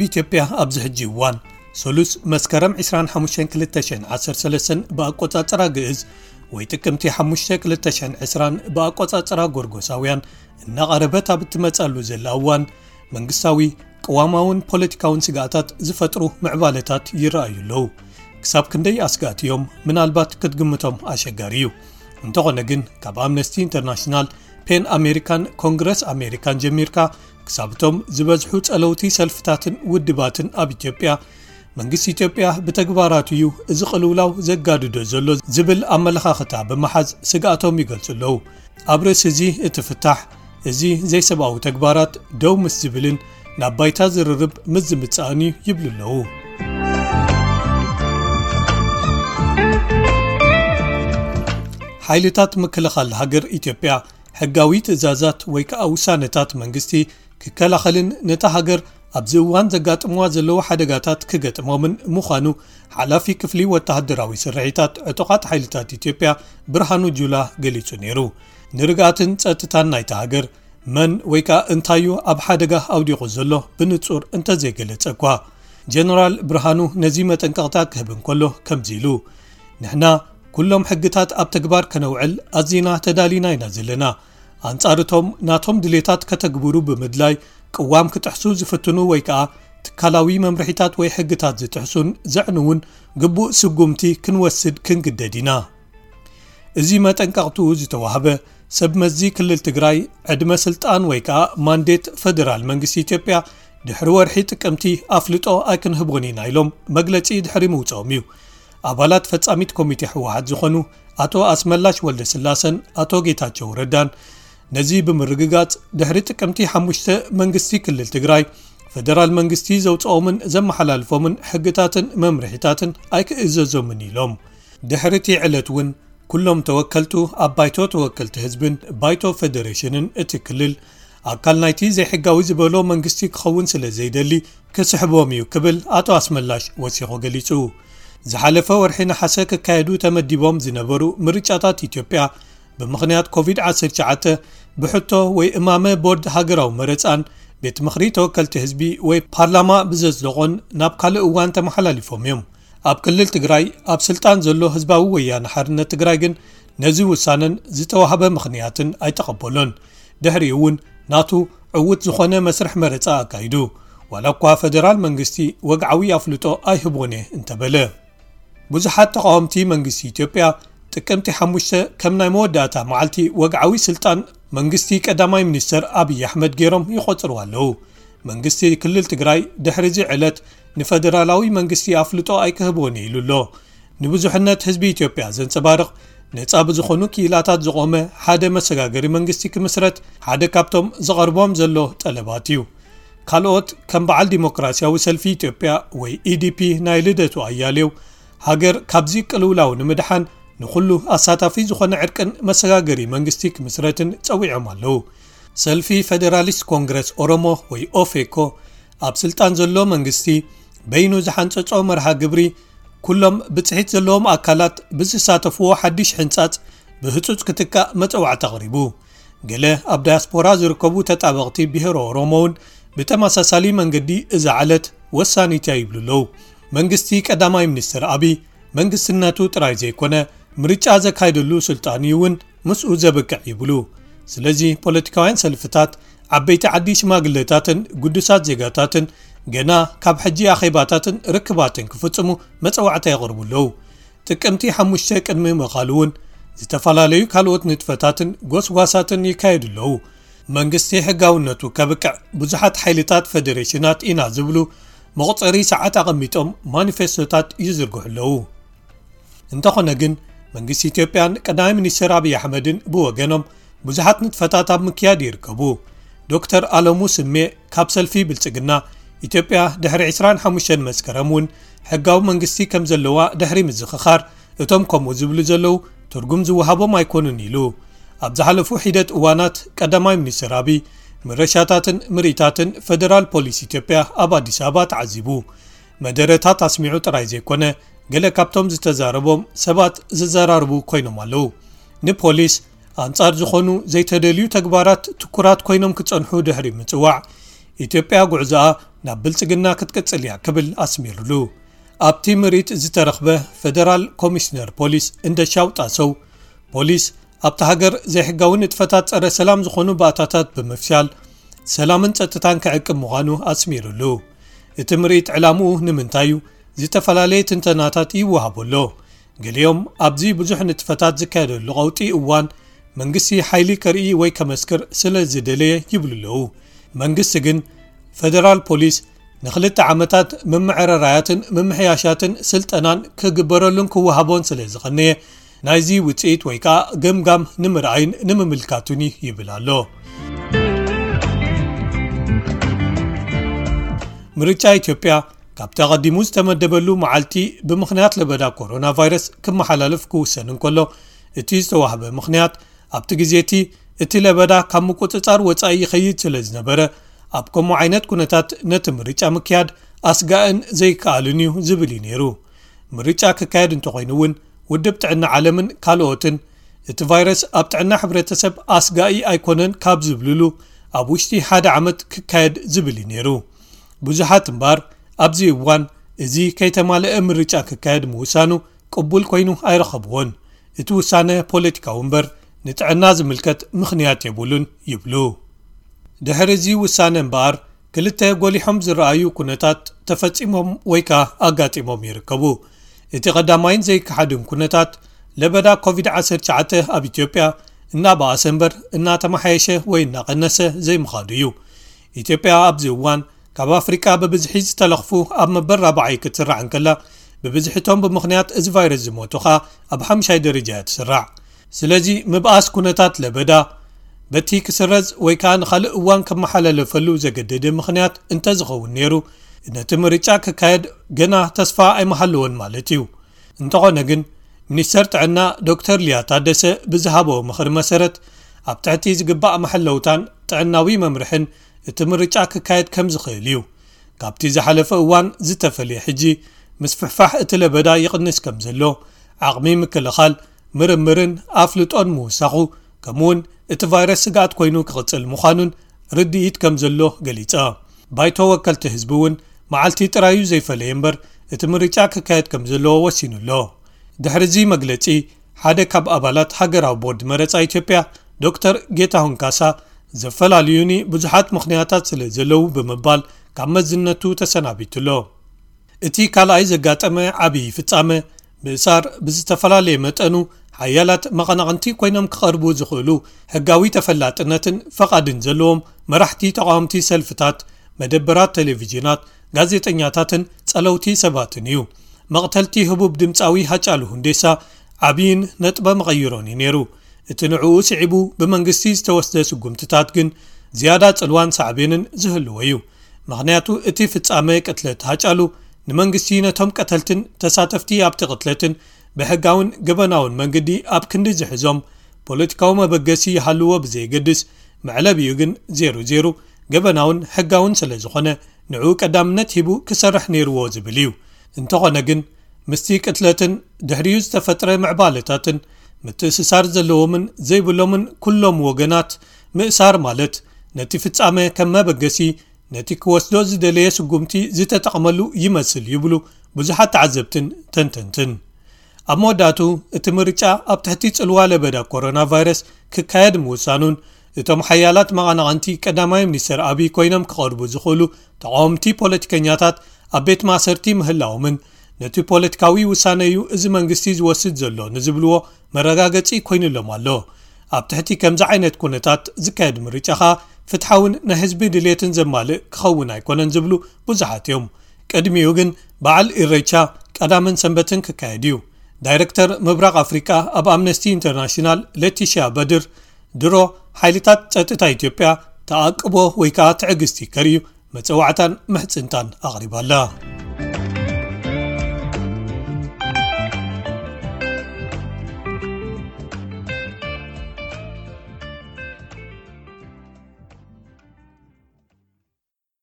ብኢትዮጵያ ኣብዚ ሕጂ እዋን ሰሉስ መስከረም ዕስራን ሓሙሽተን ክልተ ሽሕን ዓሰርተ ሰለስተን ብኣቆጻጽራ ግእዝ ወይ ጥቅምቲ ሓሙሽተ ክልተ ሽሕን ዕስራን ብኣቆጻጽራ ጎርጎሳውያን እናቐረበት ኣብ እትመጻሉ ዘላ እዋን መንግስታዊ፣ ቅዋማውን ፖለቲካውን ስግኣታት ዝፈጥሩ ምዕባለታት ይረኣዩ ኣለዉ። ክሳብ ክንደይ ኣስጋእቲ እዮም ምናልባት ክትግምቶም ኣሸጋሪ እዩ። እንተኾነ ግን ካብ ኣምነስቲ ኢንተርናሽናል፣ ፔን ኣሜሪካን ኮንግረስ ኣሜሪካን ጀሚርካ ክሳብ እቶም ዝበዝሑ ጸለውቲ ሰልፍታትን ውድባትን ኣብ ኢትዮጵያ መንግስቲ ኢትዮጵያ ብተግባራቱ እዩ እዚ ቅልውላው ዘጋድዶ ዘሎ ዝብል ኣመለኻኽታ ብምሓዝ ስግኣቶም ይገልጹ ኣለዉ። ኣብ ርእሲ እዚ እቲ ፍታሕ እዚ ዘይሰብኣዊ ተግባራት ደው ምስ ዝብልን ናብ ባይታ ዝርርብ ምስ ዝምጽእን እዩ ይብሉ ኣለዉ። ሓይልታት ምክልኻል ሃገር ኢትዮጵያ ሕጋዊ ትእዛዛት ወይ ከዓ ውሳነታት መንግስቲ ክከላኸልን ነታ ሃገር ኣብዚ እዋን ዘጋጥምዋ ዘለዉ ሓደጋታት ክገጥሞምን ምዃኑ ሓላፊ ክፍሊ ወተሃደራዊ ስርሒታት ዕጡቓት ሓይልታት ኢትዮጵያ ብርሃኑ ጁላ ገሊጹ ነይሩ። ንርግኣትን ጸጥታን ናይታ ሃገር መን ወይ ከኣ እንታዩ ኣብ ሓደጋ ኣውዲቑ ዘሎ ብንጹር እንተዘይገለጸ እኳ፣ ጀነራል ብርሃኑ ነዚ መጠንቀቕታ ክህብ እንከሎ ከምዚ ኢሉ፣ ንሕና ኩሎም ሕግታት ኣብ ተግባር ከነውዕል ኣዚና ተዳሊና ኢና ዘለና። ኣንጻር እቶም ናቶም ድሌታት ከተግብሩ ብምድላይ ቅዋም ክጥሕሱ ዝፍትኑ ወይ ከኣ ትካላዊ መምርሒታት ወይ ሕግታት ዝጥሕሱን ዘዕንውን ግቡእ ስጉምቲ ክንወስድ ክንግደድ ኢና። እዚ መጠንቀቕትኡ ዝተዋህበ ሰብ መዚ ክልል ትግራይ ዕድመ ስልጣን ወይ ከኣ ማንዴት ፈደራል መንግስቲ ኢትዮጵያ ድሕሪ ወርሒ ጥቅምቲ ኣፍልጦ ኣይክንህቦን ኢና ኢሎም መግለጺ ድሕሪ ምውጽኦም እዩ። ኣባላት ፈጻሚት ኮሚቴ ህወሓት ዝኾኑ ኣቶ ኣስመላሽ ወልደ ስላሰን ኣቶ ጌታቸው ረዳን ነዚ ብምርግጋጽ ድሕሪ ጥቅምቲ ሓሙሽተ መንግስቲ ክልል ትግራይ ፈደራል መንግስቲ ዘውጽኦምን ዘመሓላልፎምን ሕግታትን መምርሒታትን ኣይክእዘዞምን ኢሎም። ድሕሪ እቲ ዕለት እውን ኩሎም ተወከልቱ ኣብ ባይቶ ተወከልቲ ህዝብን ባይቶ ፌደሬሽንን እቲ ክልል ኣካል ናይቲ ዘይሕጋዊ ዝበሎ መንግስቲ ክኸውን ስለ ዘይደሊ ክስሕቦም እዩ ክብል ኣቶ ኣስመላሽ ወሲኹ ገሊጹ። ዝሓለፈ ወርሒ ነሓሰ ክካየዱ ተመዲቦም ዝነበሩ ምርጫታት ኢትዮጵያ ብምኽንያት ኮቪድ ዓሰርተ ትሽዓተ ብሕቶ ወይ እማመ ቦርድ ሃገራዊ መረጻን ቤት ምኽሪ ተወከልቲ ህዝቢ ወይ ፓርላማ ብዘጽደቖን ናብ ካልእ እዋን ተመሓላሊፎም እዮም። ኣብ ክልል ትግራይ ኣብ ስልጣን ዘሎ ህዝባዊ ወያነ ሓርነት ትግራይ ግን ነዚ ውሳነን ዝተዋህበ ምኽንያትን ኣይተቐበሎን። ድሕሪኡ እውን ናቱ ዕዉት ዝኾነ መስርሕ መረጻ ኣካይዱ። ዋላ እኳ ፈደራል መንግስቲ ወግዓዊ ኣፍልጦ ኣይህቦን እየ እንተበለ። ብዙሓት ተቓወምቲ መንግስቲ ኢትዮጵያ ጥቅምቲ ሓሙሽተ ከም ናይ መወዳእታ መዓልቲ ወግዓዊ ስልጣን መንግስቲ ቀዳማይ ሚኒስተር ኣብይ ኣሕመድ ገይሮም ይቖጽርዋ ኣለዉ። መንግስቲ ክልል ትግራይ ድሕሪ እዚ ዕለት ንፈደራላዊ መንግስቲ ኣፍልጦ ኣይክህቦን እየ ኢሉ ኣሎ። ንብዙሕነት ህዝቢ ኢትዮጵያ ዘንጸባርቕ ነጻ ብዝኾኑ ክኢላታት ዝቖመ ሓደ መሰጋገሪ መንግስቲ ክምስረት ሓደ ካብቶም ዝቐርቦም ዘሎ ጠለባት እዩ። ካልኦት ከም በዓል ዲሞክራሲያዊ ሰልፊ ኢትዮጵያ ወይ ኢዲፒ ናይ ልደቱ ኣያሌው ሃገር ካብዚ ቅልውላው ንምድሓን ንኹሉ ኣሳታፊ ዝኾነ ዕርቅን መሰጋገሪ መንግስቲ ክምስረትን ጸዊዖም ኣለዉ። ሰልፊ ፈደራሊስት ኮንግረስ ኦሮሞ ወይ ኦፌኮ ኣብ ስልጣን ዘሎ መንግስቲ በይኑ ዝሓንጸጾ መርሃ ግብሪ ኩሎም ብጽሒት ዘለዎም ኣካላት ብዝሳተፍዎ ሓድሽ ሕንጻጽ ብህጹጽ ክትካእ መጸዋዕታ ኣቕሪቡ። ገለ ኣብ ዳያስፖራ ዝርከቡ ተጣበቕቲ ብሄረ ኦሮሞ እውን ብተመሳሳሊ መንገዲ እዛ ዕለት ወሳኒት እያ ይብሉ ኣለዉ። መንግስቲ ቀዳማይ ሚኒስትር ኣብይ መንግስትነቱ ጥራይ ዘይኮነ ምርጫ ዘካይደሉ ስልጣን እዩ እውን ምስኡ ዘብቅዕ ይብሉ። ስለዚ ፖለቲካውያን ሰልፍታት፣ ዓበይቲ ዓዲ ሽማግለታትን ግዱሳት ዜጋታትን ገና ካብ ሕጂ ኣኼባታትን ርክባትን ክፍጽሙ መጸዋዕታ የቕርቡ ኣለዉ። ጥቅምቲ ሓሙሽተ ቅድሚ ምቓሉ እውን ዝተፈላለዩ ካልኦት ንጥፈታትን ጎስጓሳትን ይካየዱ ኣለዉ። መንግስቲ ሕጋውነቱ ከብቅዕ ብዙሓት ሓይልታት ፈደሬሽናት ኢና ዝብሉ መቑጸሪ ሰዓት ኣቐሚጦም ማኒፌስቶታት ይዝርግሑ ኣለዉ። እንተኾነ ግን መንግስቲ ኢትዮጵያን ቀዳማይ ሚኒስትር ኣብይ ኣሕመድን ብወገኖም ብዙሓት ንጥፈታት ኣብ ምክያድ ይርከቡ። ዶክተር ኣለሙ ስሜ ካብ ሰልፊ ብልጽግና ኢትዮጵያ ድሕሪ ዕስራን ሓሙሽተን መስከረም እውን ሕጋዊ መንግስቲ ከም ዘለዋ ድሕሪ ምዝኽኻር እቶም ከምኡ ዝብሉ ዘለዉ ትርጉም ዝወሃቦም ኣይኮኑን ኢሉ። ኣብ ዝሓለፉ ሒደት እዋናት ቀዳማይ ሚኒስትር ኣብይ ምረሻታትን ምርኢታትን ፈደራል ፖሊስ ኢትዮጵያ ኣብ ኣዲስ ኣበባ ተዓዚቡ። መደረታት ኣስሚዑ ጥራይ ዘይኮነ ገለ ካብቶም ዝተዛረቦም ሰባት ዝዘራርቡ ኮይኖም ኣለዉ። ንፖሊስ ኣንጻር ዝኾኑ ዘይተደልዩ ተግባራት ትኩራት ኮይኖም ክጸንሑ ድሕሪ ምጽዋዕ ኢትዮጵያ ጉዕዞኣ ናብ ብልጽግና ክትቅጽል እያ ክብል ኣስሚሩሉ። ኣብቲ ምርኢት ዝተረኽበ ፌደራል ኮሚሽነር ፖሊስ እንደሻው ጣሰው፣ ፖሊስ ኣብቲ ሃገር ዘይሕጋዊ ንጥፈታት ጸረ ሰላም ዝኾኑ ባእታታት ብምፍሻል ሰላምን ጸጥታን ክዕቅብ ምዃኑ ኣስሚሩሉ። እቲ ምርኢት ዕላምኡ ንምንታይ እዩ? ዝተፈላለየ ትንተናታት ይወሃቦ ኣሎ። ገሊኦም ኣብዚ ብዙሕ ንጥፈታት ዝካየደሉ ቀውጢ እዋን መንግስቲ ሓይሊ ከርኢ ወይ ከመስክር ስለ ዝደለየ ይብሉ ኣለዉ። መንግስቲ ግን ፌደራል ፖሊስ ንክልተ ዓመታት ምምዕርራያትን ምምሕያሻትን ስልጠናን ክግበረሉን ክወሃቦን ስለ ዝቐነየ ናይዚ ውፅኢት ወይ ከዓ ገምጋም ንምርኣይን ንምምልካቱን እዩ ይብል ኣሎ። ምርጫ ኢትዮጵያ ካብቲ ኣቐዲሙ ዝተመደበሉ መዓልቲ ብምኽንያት ለበዳ ኮሮና ቫይረስ ክመሓላለፍ ክውሰን እንከሎ፣ እቲ ዝተዋህበ ምኽንያት ኣብቲ ግዜ እቲ እቲ ለበዳ ካብ ምቁጽጻር ወጻኢ ይኸይድ ስለ ዝነበረ፣ ኣብ ከምኡ ዓይነት ኩነታት ነቲ ምርጫ ምክያድ ኣስጋእን ዘይከኣልን እዩ ዝብል እዩ ነይሩ። ምርጫ ክካየድ እንተኾይኑ እውን ውድብ ጥዕና ዓለምን ካልኦትን እቲ ቫይረስ ኣብ ጥዕና ሕብረተሰብ ኣስጋኢ ኣይኮነን ካብ ዝብልሉ ኣብ ውሽጢ ሓደ ዓመት ክካየድ ዝብል እዩ ነይሩ። ብዙሓት እምበኣር ኣብዚ እዋን እዚ ከይተማልአ ምርጫ ክካየድ ምውሳኑ ቅቡል ኮይኑ ኣይረኸብዎን። እቲ ውሳነ ፖለቲካዊ እምበር ንጥዕና ዝምልከት ምኽንያት የብሉን ይብሉ። ድሕሪ እዚ ውሳነ እምበኣር ክልተ ጎሊሖም ዝረኣዩ ኩነታት ተፈጺሞም ወይ ከኣ ኣጋጢሞም ይርከቡ። እቲ ቀዳማይን ዘይከሓድን ኩነታት ለበዳ ኮቪድ ዓሰርተ ትሽዓተ ኣብ ኢትዮጵያ እናበኣሰ እምበር እናተመሓየሸ ወይ እናቐነሰ ዘይምኻዱ እዩ። ኢትዮጵያ ኣብዚ እዋን ካብ ኣፍሪቃ ብብዝሒ ዝተለኽፉ ኣብ መበል ራብዓይ ክትስራዕ እንከላ፣ ብብዝሒ እቶም ብምኽንያት እዚ ቫይረስ ዝሞቱ ኸኣ ኣብ ሓምሻይ ደረጃ እያ ትስራዕ። ስለዚ ምብኣስ ኩነታት ለበዳ በቲ ክስረዝ ወይ ከኣ ንኻልእ እዋን ከመሓላለፈሉ ዘገደደ ምኽንያት እንተዝኸውን ነይሩ፣ ነቲ ምርጫ ክካየድ ገና ተስፋ ኣይመሃለዎን ማለት እዩ። እንተኾነ ግን፣ ሚኒስተር ጥዕና ዶክተር ሊያ ታደሰ ብዝሃበኦ ምኽሪ መሰረት፣ ኣብ ትሕቲ ዝግባእ መሐለውታን ጥዕናዊ መምርሕን እቲ ምርጫ ክካየድ ከም ዝኽእል እዩ። ካብቲ ዝሓለፈ እዋን ዝተፈልየ ሕጂ፣ ምስፍሕፋሕ እቲ ለበዳ ይቕንስ ከም ዘሎ፣ ዓቕሚ ምክልኻል፣ ምርምርን ኣፍልጦን ምውሳኹ፣ ከምኡውን እቲ ቫይረስ ስግኣት ኮይኑ ክቕጽል ምዃኑን ርድኢት ከም ዘሎ ገሊጻ። ባይቶ ወከልቲ ህዝቢ እውን መዓልቲ ጥራዩ ዘይፈለየ እምበር፣ እቲ ምርጫ ክካየድ ከም ዘለዎ ወሲኑ ኣሎ። ድሕሪ እዚ መግለጺ፣ ሓደ ካብ ኣባላት ሃገራዊ ቦርድ መረጻ ኢትዮጵያ ዶክተር ጌታሁን ካሳ፣ ዘፈላልዩኒ ብዙሓት ምኽንያታት ስለ ዘለዉ ብምባል ካብ መዝነቱ ተሰናቢቱ ኣሎ። እቲ ካልኣይ ዘጋጠመ ዓብዪ ፍጻመ፣ ምእሳር ብዝተፈላለየ መጠኑ ሓያላት መቐናቕንቲ ኮይኖም ክቐርቡ ዝኽእሉ ሕጋዊ ተፈላጥነትን ፈቓድን ዘለዎም መራሕቲ ተቓወምቲ ሰልፍታት፣ መደበራት ቴሌቪዥናት፣ ጋዜጠኛታትን ጸለውቲ ሰባትን እዩ። መቕተልቲ ህቡብ ድምጻዊ ሃጫሉ ሁንዴሳ ዓብይን ነጥበ መቐይሮን እዩ ነይሩ። እቲ ንዕኡ ስዒቡ ብመንግስቲ ዝተወስደ ስጉምትታት ግን ዝያዳ ጽልዋን ሳዕቤንን ዝህልዎ እዩ። ምኽንያቱ እቲ ፍጻመ ቅትለት ሃጫሉ ንመንግስቲ ነቶም ቀተልትን ተሳተፍቲ ኣብቲ ቅትለትን ብሕጋውን ገበናውን መንገዲ ኣብ ክንዲ ዝሕዞም ፖለቲካዊ መበገሲ ይሃልዎ ብዘየገድስ፣ መዕለቢኡ ግን ዜሮ ዜሮ ገበናውን ሕጋውን ስለ ዝኾነ ንዕኡ ቀዳምነት ሂቡ ክሰርሕ ነይርዎ ዝብል እዩ። እንተኾነ ግን ምስቲ ቅትለትን ድሕሪኡ ዝተፈጥረ ምዕባለታትን ምትእስሳር ዘለዎምን ዘይብሎምን ኩሎም ወገናት ምእሳር ማለት ነቲ ፍጻመ ከም መበገሲ ነቲ ክወስዶ ዝደለየ ስጉምቲ ዝተጠቕመሉ ይመስል ይብሉ ብዙሓት ተዓዘብትን ተንተንትን። ኣብ መወዳእቱ እቲ ምርጫ ኣብ ትሕቲ ጽልዋ ለበዳ ኮሮና ቫይረስ ክካየድ ምውሳኑን እቶም ሓያላት መቐናቕንቲ ቀዳማይ ሚኒስተር ኣብይ ኮይኖም ክቐርቡ ዝኽእሉ ተቓወምቲ ፖለቲከኛታት ኣብ ቤት ማእሰርቲ ምህላዎምን ነቲ ፖለቲካዊ ውሳነ እዩ እዚ መንግስቲ ዝወስድ ዘሎ ንዝብልዎ መረጋገጺ ኮይኑሎም ኣሎ። ኣብ ትሕቲ ከምዚ ዓይነት ኩነታት ዝካየድ ምርጫ ኸኣ ፍትሓውን ናይ ህዝቢ ድሌትን ዘማልእ ክኸውን ኣይኮነን ዝብሉ ብዙሓት እዮም። ቅድሚኡ ግን በዓል ኢሬቻ ቀዳምን ሰንበትን ክካየድ እዩ። ዳይረክተር ምብራቕ ኣፍሪቃ ኣብ ኣምነስቲ ኢንተርናሽናል ሌቲሽያ በድር ድሮ ሓይልታት ጸጥታ ኢትዮጵያ ተኣቅቦ ወይ ከኣ ትዕግስቲ ከርእዩ መጸዋዕታን ምሕጽንታን ኣቕሪባላ።